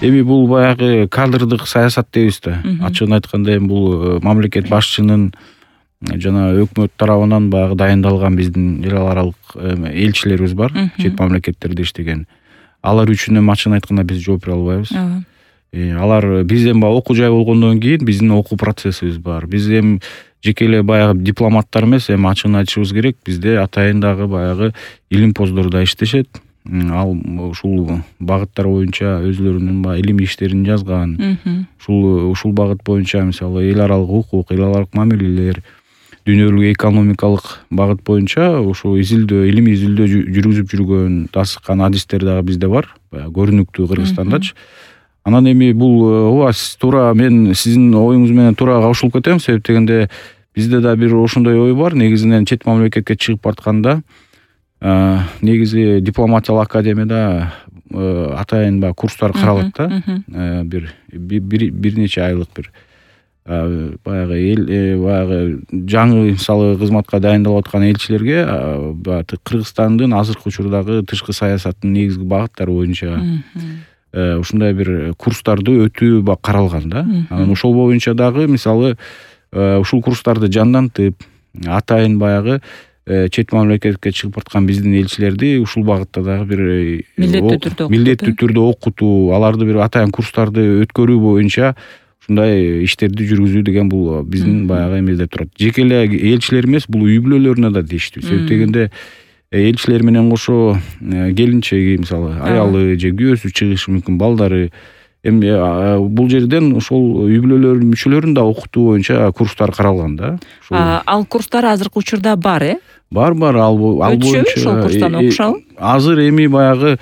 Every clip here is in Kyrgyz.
Эми бул баягы кадрдык саясат дейбиз да. Ачыгын айтканда эми бул мамлекет башчынын жана өкмөт тарабынан баягы дайындалган биздин эл аралык элчилерибиз бар, чет мамлекеттерде иштеген. Алар үчүн эми ачыгын айтканда биз жооп бере албайбыз. Алар бизден баягы окуу жай болгондон кийин биздин окуу процессибиз бар. Биз эми жеке эле баягы дипломаттар эмес, эми ачыгын айтышыбыз керек, бизде атайын дагы баягы илимпоздор да иштешет. Ал ушул багыттар боюнча өзлөрүнүн баягы илимий иштерин жазган. Ушул багыт боюнча мисалы эл аралык укук, эл аралык мамилелер, дүйнөлүк экономикалык багыт боюнча ушул илимий изилдөө жүргүзүп жүргөн тасыккан адистер дагы бизде бар, баягы көрүнүктүү Кыргызстандачы. Анан эми бул ооба туура мен сиздин оюңуз менен туура кошулуп кетем, себеп дегенде бизде да бир ошондой ой бар. Негизинен чет мамлекетке чыгып баратканда негизи дипломатиялык академияда атайын баягы курстар каралат да. Бир нече айлык бир баягы баягы жаңы мисалы кызматка дайындалып аткан элчилерге Кыргызстандын азыркы учурдагы тышкы саясаттын негизги багыттары боюнча ушундай бир курстарды өтүү каралган да. Анан ошол боюнча дагы мисалы ушул курстарды жандантып, атайын баягы чет мамлекетке чыгып бараткан биздин элчилерди ушул багытта дагы бир милдеттүү түрдө окутуу, аларды бир атайын курстарды өткөрүү боюнча ушундай иштерди жүргүзүү деген бул биздин баягы эмеде турат. Жеке эле элчилер эмес, бул үй бүлөлөрүнө да тийиштүү. Себеп дегенде элчилер менен кошо келинчеги, мисалы, аялы же күйөөсү чыгышы мүмкүн, балдары. Эми бул жерден ошол үй бүлөлөрүнүн мүчөлөрүн да окутуу боюнча курстар каралган да. Ал курстар азыркы учурда бар, Бар, ал боюнча. Ошол курстан окушабы? Азыр эми баягы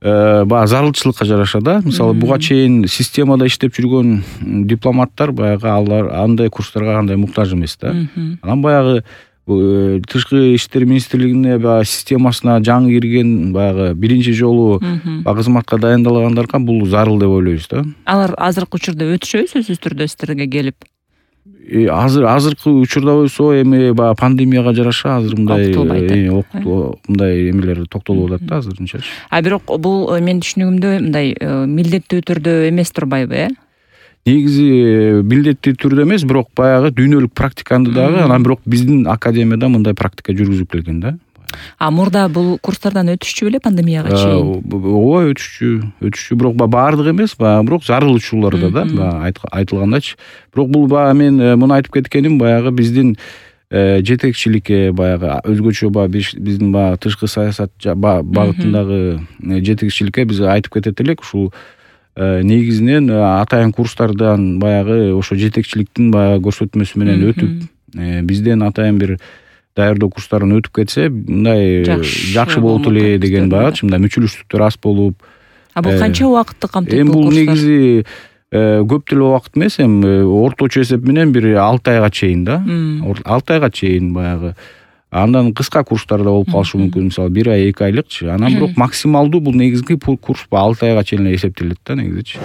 зарылчылыкка жараша да. Мисалы, буга чейин системада иштеп жүргөн дипломаттар баягы алар андай курстарга кандай муктаж эмес да. Анан баягы Тышкы иштер министрлигине баягы системасына жаңы кирген баягы биринчи жолу кызматка дайындалгандарга бул зарыл деп ойлойбуз да. Алар азыркы учурда өтүшөбү сөзсүз түрдө сиздерге келип? Азыркы учурда болсо эми баягы пандемияга жараша азыр мындай эмелер токтолуп атат да азырынчачы. Бирок бул менин түшүнүгүмдө мындай милдеттүү түрдө эмес турбайбы, Негизи милдеттүү түрдө эмес, бирок баягы дүйнөлүк практиканы дагы, анан бирок биздин академияда мындай практика жүргүзүп келген да. Мурда бул курстардан өтүшчү беле пандемияга чейин? Ооба, өтүшчү, бирок баардык эмес, бирок зарыл учурларда да, айтылгандачы. Бирок бул мен муну айтып кеткеним баягы биздин жетекчиликке баягы өзгөчө биздин тышкы саясат багытындагы жетекчиликке биз айтып кетет элек, ушул негизинен атайын курстардан баягы ошо жетекчиликтин баягы көрсөтмөсү менен өтүп, бизден атайын бир даярдоо курстарын өтүп кетсе, мындай жакшы болот эле деген баягы, мындай мүчөлүштүктөр аз болуп. Бул канча убакытты камтыйт Бул бул курстар? негизи көп деле убакыт эмес, орточо эсеп менен бир 6 айга чейин да. 6 айга чейин баягы. Андан кыска курстар да болуп калышы мүмкүн, мисалы 1 ай, 2 айлыкчы. Анан бирок максималдуу бул негизги курс 6 айга чейин эсептелет да негизичи.